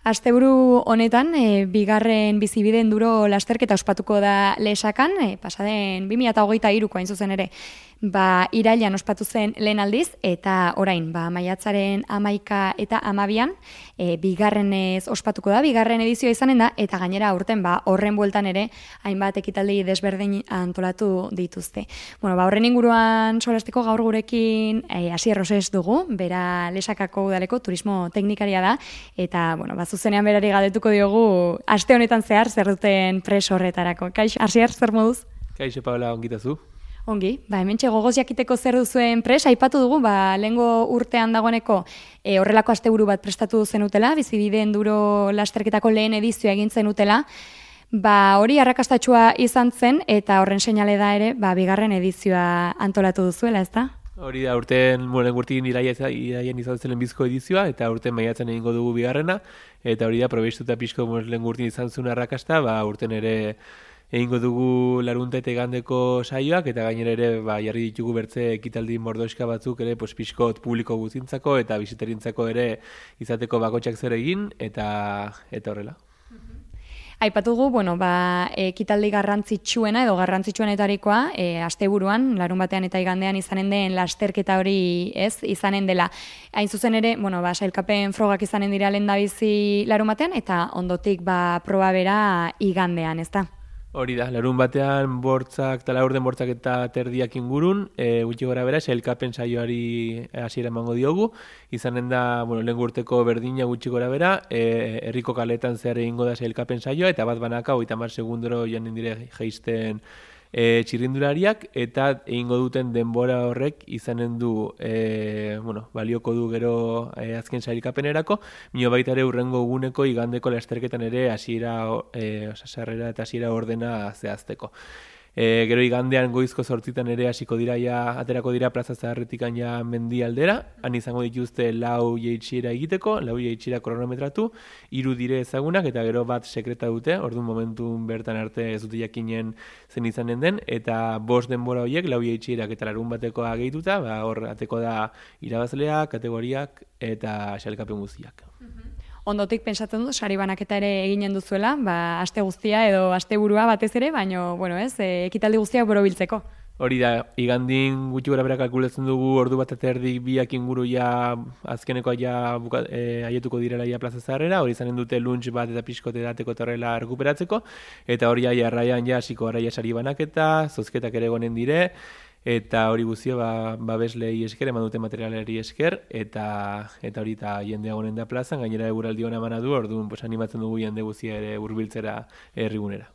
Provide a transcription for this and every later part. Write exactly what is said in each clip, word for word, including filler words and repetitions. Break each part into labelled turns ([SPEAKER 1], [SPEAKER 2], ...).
[SPEAKER 1] Asteburu honetan, e, bigarren bizibide enduro lasterketa ospatuko da Lesakan, e, pasaden bi mila hogeita hiruko hain zuzen ere, ba, irailean ospatu zen lehen aldiz, eta orain, ba, maiatzaren hamaika eta hamabian, e, bigarrenez ospatuko da, bigarren edizioa izanen da, eta gainera aurten, ba, horren bueltan ere, hainbat ekitaldi desberdin antolatu dituzte. Bueno, ba, horren inguruan solastiko gaur gurekin e, Asier Rosés dugu, bera Lesakako udaleko turismo teknikaria da, eta, bueno, ba, zuzenean berari galdetuko diogu aste honetan zehar zer duten pres horretarako. Kaixo, Asier, zer moduz?
[SPEAKER 2] Kaixo, Paola, ongitazu.
[SPEAKER 1] Ongi, ba, hementxe gogoz jakiteko zer duzuen pres, aipatu dugu, ba, lehengo urtean dagoeneko e, horrelako asteburu bat prestatu zenutela, bizibide enduro lasterketako lehen edizioa egin zenutela, ba, hori arrakastatsua izan zen, eta horren seinale da ere, ba, bigarren edizioa antolatu duzuela, ezta?
[SPEAKER 2] Hori da, urten, bueno, urtin iraien izan zen lehenbizko edizioa, eta urten maiatzen egingo dugu bigarrena, eta hori da, probeistuta pixko lehen urtin izan zuen arrakasta, ba, urten ere egingo dugu larunta eta igandeko saioak, eta gainera ere, ba, jarri ditugu bertze ekitaldi mordoska batzuk ere, pues, pixkot publiko guztintzako, eta bisiterintzako ere izateko bakotxak zer egin, eta, eta horrela.
[SPEAKER 1] Aipatu dugu, bueno, ba, ekitaldi garrantzitsuena edo garrantzitsuenetarikoa, e, asteburuan, larun batean eta igandean izanen den lasterketa hori, ez, izanen dela. Hain zuzen ere, bueno, ba, sailkapen frogak izanen dira lehendabizi larun batean, eta ondotik, ba, proba bera igandean, ez da?
[SPEAKER 2] Hori da, larun batean bortzak, tala orden bortzak eta terdiak ingurun, e, gutxi gora bera, sailkapen saioari hasiera emango diogu, izanen da, bueno, lehen urteko berdina gutxi gora bera, e, herriko kaletan zehar egingo da sailkapen saioa, eta bat banaka, hogeita hamar segundoro janen dire jeisten e, txirrindulariak, eta egingo duten denbora horrek izanen du, e, bueno, balioko du gero e, azken sailkapenerako, mino baita ere urrengo eguneko igandeko lasterketan ere hasiera, e, osasarrera eta hasiera ordena zehazteko. E, gero igandean goizko zortzitan ere hasiko dira ja, aterako dira plaza zaharretik ja mendi aldera, han izango dituzte lau jeitxiera egiteko, lau jeitxiera kronometratu, hiru dire ezagunak eta gero bat sekreta dute, orduan momentun bertan arte ez dute jakinen zen izanen den, eta bost denbora horiek, lau jeitxierak eta larun batekoa gehituta, ba, hor ateko da irabazleak, kategoriak eta sailkapen guztiak.
[SPEAKER 1] Ondotik pentsatzen dut, sari banaketa ere eginen duzuela, ba, aste guztia edo asteburua batez ere, baino, bueno, ez, e, ekitaldi guztiak borobiltzeko.
[SPEAKER 2] Hori da, igandin gutxi gora bera kalkulatzen dugu ordu bat eta erdik biak inguru ja azkeneko ja buka, e, aietuko direla ja plaza zaharrera, hori izanen dute lunch bat eta pixkote dateko terrela rekuperatzeko, eta hori ja jarraian ja hasiko gara ja sari banaketa, zozketak ere gonen dire, eta hori guztia ba, babeslei esker, eman dute materialeri esker, eta eta hori eta jendea gonen da plazan, gainera eguraldi hona emana du, orduan pues, animatzen dugu jende guztia ere hurbiltzera herrigunera.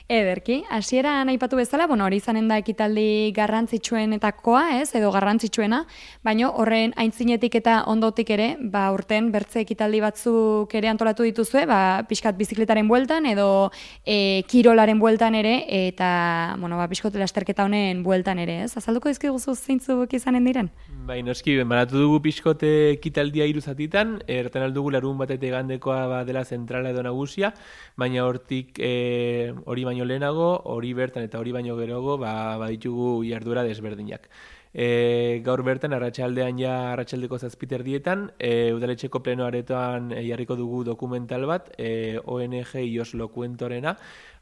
[SPEAKER 1] Ederki, hasieran aipatu bezala, bueno, hori izanen da ekitaldi garrantzitsuenetakoa, ez, edo garrantzitsuena, baino horren aintzinetik eta ondotik ere, ba, urten bertze ekitaldi batzuk ere antolatu dituzue, ba, pixkat bizikletaren bueltan edo e, kirolaren bueltan ere, eta, bueno, ba, pixkot lasterketa honen bueltan ere, ez? Azalduko dizkiguzu zeintzuk izanen diren?
[SPEAKER 2] Bai, noski, banatu dugu pixkote ekitaldia hiru zatitan, erten aldugu larun bat eta igandekoa ba, dela zentrala edo nagusia, baina hortik e, hori baino lehenago, hori bertan eta hori baino gerogo, ba, baditugu jarduera desberdinak. E, gaur bertan, arratsaldean ja arratsaldeko zazpiterdietan, e, udaletxeko pleno aretoan e, jarriko dugu dokumental bat, e, O N G Ioslo Kuentorena,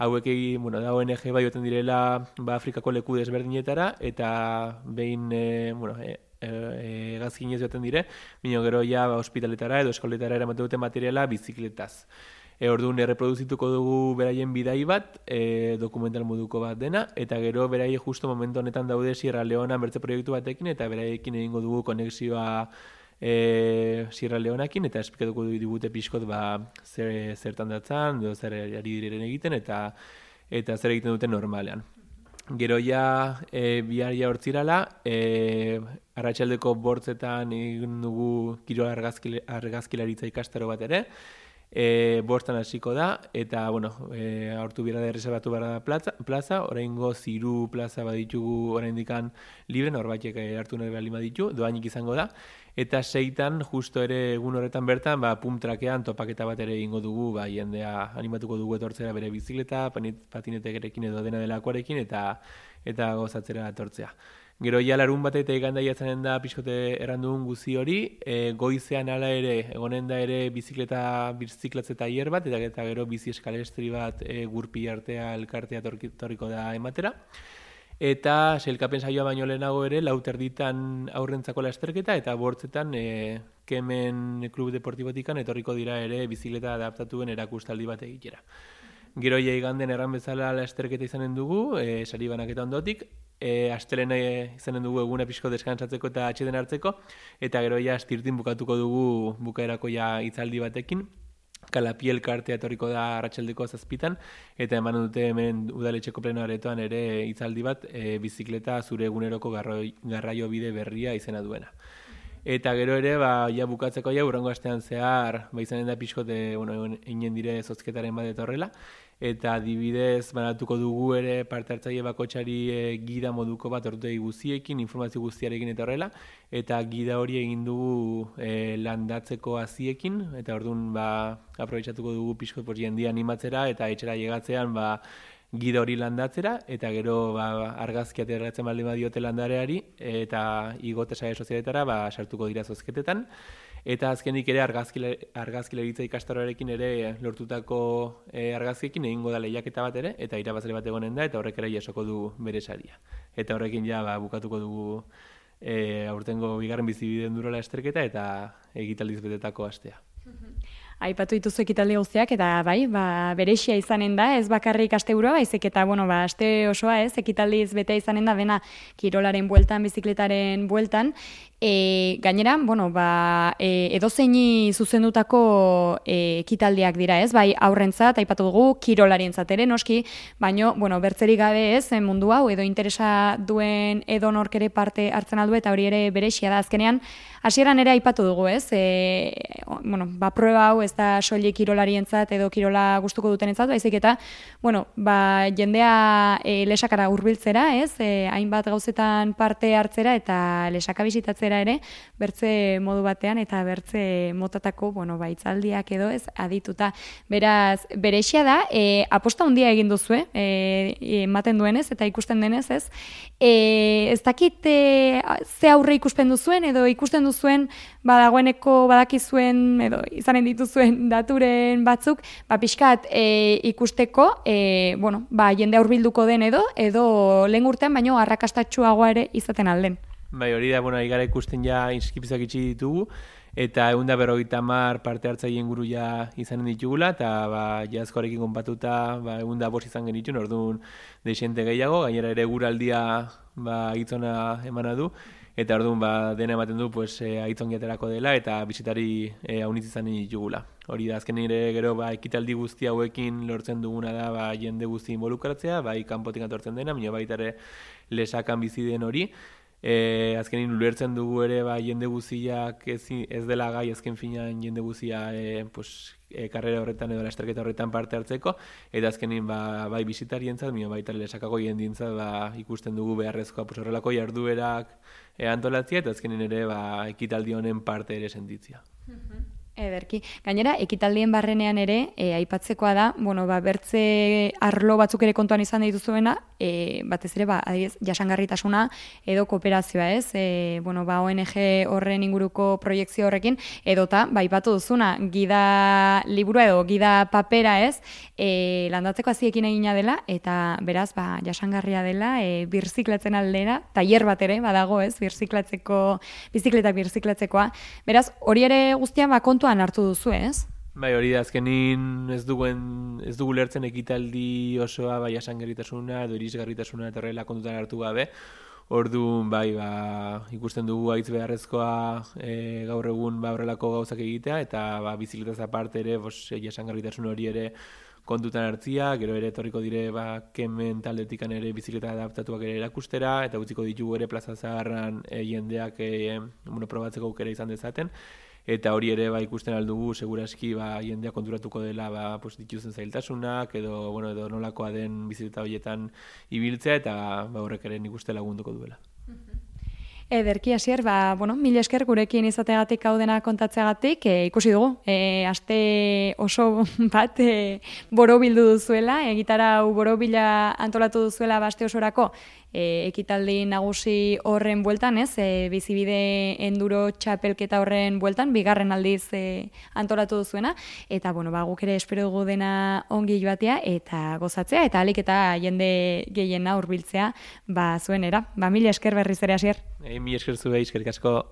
[SPEAKER 2] hauek egin, bueno, da O N G bai oten direla ba, Afrikako leku desberdinetara, eta behin, e, bueno, e, E, gazkinez joaten dire, bino gero ja ba, ospitaletara edo eskoletara eramate dute materiala bizikletaz. E, orduan erreproduzituko dugu beraien bidai bat, e, dokumental moduko bat dena, eta gero beraie justo momentu honetan daude Sierra Leona bertze proiektu batekin, eta beraiekin egingo dugu konexioa e, Sierra Leonakin, eta esplikatuko digute pixkot ba, zer, zertan datzan, edo zer ari diren egiten, eta, eta zer egiten duten normalean. Gero ja e, bihar ja hortzirala, e, arratsaldeko bortzetan egin dugu kirol argazkilaritza ikastaro bat ere, e, bostan hasiko da, eta, bueno, e, aurtu bira da erreserbatu behar da plaza, plaza oraingo ziru plaza baditugu oraindikan libre, norbaitek hartu nahi behar lima ditu, doainik izango da, eta seitan, justo ere egun horretan bertan, ba, pump trackean topaketa bat ere egingo dugu, ba, jendea animatuko dugu etortzera bere bizikleta, patinetekerekin edo dena delakoarekin, eta eta gozatzera etortzea. Gero ja larun bat eta igandaia izanen da pixkote errandugun guzi hori, e, goizean hala ere, egonen da ere bizikleta, biziklatze tailer bat, eta, eta gero bizi eskalestri bat e, gurpi artea elkartea torriko da ematera. Eta sailkapen saioa baino lehenago ere, lau terditan aurrentzako lasterketa, eta bortzetan e, Kemen Klub Deportibotikan etorriko dira ere bizikleta adaptatuen erakustaldi bat egitera. Gero ja iganden erran bezala lasterketa izanen dugu, e, sari banaketa ondotik, e, astelena izanen dugu eguna pixko deskantzatzeko eta atxeden hartzeko, eta gero ja astirtin bukatuko dugu bukaerako ja hitzaldi batekin, Kalapiel kartea etorriko da arratsaldeko zazpitan, eta eman dute hemen udaletxeko pleno aretoan ere hitzaldi bat e, bizikleta zure eguneroko garraio bide berria izena duena. Eta gero ere, ba, ja bukatzeko ja, urrengo astean zehar, ba, izanen da pixkote, bueno, inen dire zozketaren bat etorrela, eta adibidez banatuko dugu ere parte hartzaile bakotxari e, gida moduko bat ordutegi guztiekin, informazio guztiarekin etorrela, eta gida hori egin dugu e, landatzeko haziekin, eta orduan ba, aprobetxatuko dugu pixkot pues, jendia animatzera, eta etxera llegatzean ba, gida hori landatzera, eta gero ba, argazki ateratzen baldin badiote landareari, eta igote sare sozialetara ba, sartuko dira zozketetan. Eta azkenik ere argazkilaritza ikastaroarekin ere lortutako e, argazkiekin egingo da lehiaketa bat ere, eta irabazle bat egonen da, eta horrek ere jasoko du bere saria. Eta horrekin ja ba, bukatuko dugu e, aurtengo bigarren bizibideen durola esterketa eta egitaldiz betetako astea.
[SPEAKER 1] Aipatu dituzu ekitaldi guztiak, eta bai, ba, berexia izanen da, ez bakarrik asteburua, baizik eta, bueno, ba, aste osoa, ez, ekitaldiz betea izanen da, dena kirolaren bueltan, bizikletaren bueltan, e, gainera, bueno, ba, e, edozeini zuzendutako e, ekitaldiak dira, ez, bai, aurrentzat, aipatu dugu, kirolarientzat ere, noski, baino, bueno, bertzerik gabe ez, mundu hau, edo interesa duen edo nork ere parte hartzen aldu, eta hori ere berexia da, azkenean, hasieran ere aipatu dugu, ez, e, bueno, ba, proba hau, ez da soilik kirolarientzat edo kirola gustuko dutenentzat, baizik eta, bueno, ba, jendea e, lesakara hurbiltzera, ez, e, hainbat gauzetan parte hartzera eta lesaka bisitatzera ere, bertze modu batean eta bertze motatako, bueno, ba, hitzaldiak edo, ez, adituta. Beraz, berexia da, e, aposta handia egin duzu, e, ematen duenez eta ikusten denez, ez, e, ez dakit e, ze aurre ikusten duzuen edo ikusten duzuen badagoeneko badakizuen edo izanen dituzuen daturen batzuk, ba pixkat e, ikusteko, e, bueno, ba jende hurbilduko den edo edo lehen urtean baino arrakastatsuagoa ere izaten alden.
[SPEAKER 2] Bai, hori da, bueno, igara ikusten ja inskripzioak itxi ditugu, eta ehun eta berrogeita hamar parte hartzaile inguru ja izanen ditugula, eta ba, jazkoarekin konpatuta ba, ehun eta bost izan genituen, orduan deixente gehiago, gainera ere guraldia ba, hitzona emana du, eta orduan ba, dena ematen du pues, e, aitzongiaterako dela eta bisitari e, haunitz izan ditugula. Hori da, azken ere gero ba, ekitaldi guzti hauekin lortzen duguna da ba, jende guzti involukratzea, bai kanpotik atortzen dena, baina baita ere lesakan bizi den hori. E, azkenin ulertzen dugu ere ba, jende guztiak ez, ez dela gai azken finean jende guztia e, pues, e, karrera horretan edo lasterketa horretan parte hartzeko, eta azkenin ba, bai bisitarientzat, baina baita lesakako jendientzat ba, ikusten dugu beharrezkoa pues, horrelako jarduerak e, antolatzea, eta azkenin ere ba, ekitaldi honen parte ere sentitzea.
[SPEAKER 1] Ederki. Gainera, ekitaldien barrenean ere, e, aipatzekoa da, bueno, ba, bertze arlo batzuk ere kontuan izan dituzuena, e, batez ere, ba, adiez, jasangarritasuna edo kooperazioa, ez? E, bueno, ba, O N G horren inguruko proiektzio horrekin, edota, ba, aipatu duzuna, gida liburua edo gida papera, ez? E, landatzeko haziekin egina dela, eta beraz, ba, jasangarria dela, e, birziklatzen aldera, tailer bat ere, badago, ez? Birziklatzeko, bizikletak birziklatzekoa. Beraz, hori ere guztian, ba, kontu hartu duzu, ez?
[SPEAKER 2] Bai, hori da, azkenin ez duguen, ez dugu lertzen ekitaldi osoa, bai, jasangarritasuna edo irisgarritasuna eta horrela kontutan hartu gabe. Orduan, bai, ba, ikusten dugu haitz beharrezkoa e, gaur egun ba, horrelako gauzak egitea, eta ba, bizikletaz aparte ere, bos, jasangarritasun hori ere kontutan hartzia, gero ere etorriko dire ba, Kemen taldetikan ere bizikleta adaptatuak ere erakustera, eta utziko ditugu ere plaza zaharran e, jendeak e, bueno, probatzeko aukera izan dezaten. Eta hori ere ba, ikusten aldugu, seguraski ba, jendea konturatuko dela ba, pues, dituzen zailtasunak, edo, bueno, edo nolakoa den bizikleta horietan ibiltzea, eta ba, horrek ere nik uste lagunduko duela.
[SPEAKER 1] Ederki hasier, ba, bueno, mil esker gurekin izategatik hau dena kontatzeagatik, e, ikusi dugu, e, aste oso bat e, borobildu duzuela, egitara hau borobila antolatu duzuela baste osorako, e, ekitaldi nagusi horren bueltan, ez, e, bizibide enduro txapelketa horren bueltan, bigarren aldiz e, antolatu duzuena, eta, bueno, ba, guk ere espero dugu dena ongi joatea, eta gozatzea, eta alik eta jende gehiena hurbiltzea, ba, zuenera. Ba, mila esker berriz ere hasier.
[SPEAKER 2] Mi esker zuei, eskerrik asko.